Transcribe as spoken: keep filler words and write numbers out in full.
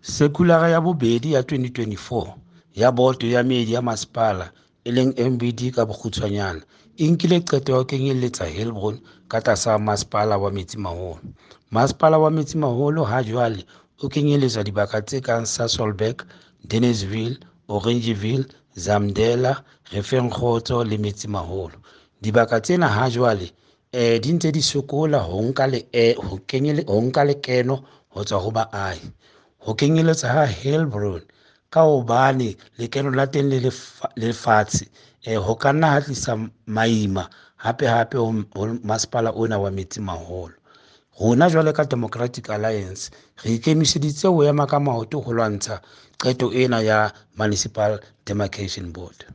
Sekulara ya bobedi ya twenty twenty-four ya Boto ya Meedi ya Masepala, e leng M B D ka bokgutshwanyane, e nkile qeto ya ho kenyeletsa Heilbron ka tlasa Masepala wa Metsimaholo. Masepala wa Metsimaholo ha jwale o kenyeletsa dibaka tse kang Sasolburg, Deneysville, Oranjeville, Zamdela, Refengkgotso le Metsimaholo. Dibaka tsena ha jwale, eh, di ntse di sokola ho nka le, eh, ho kenyele-, ho nka lekeno ho tswa ho baahi. Ho kenyeletsa ha Heilbron ka hobane lekeno la teng le lefa-, le fatshe, eh, ho ka nna ha tlisa maima hape hape ho, ho masepala ona wa Metsimaholo. Rona jwale ka Democratic Alliance re ikemiseditse ho ema ka maoto ho lwantsha qeto ena ya Municipal Demarcation Board.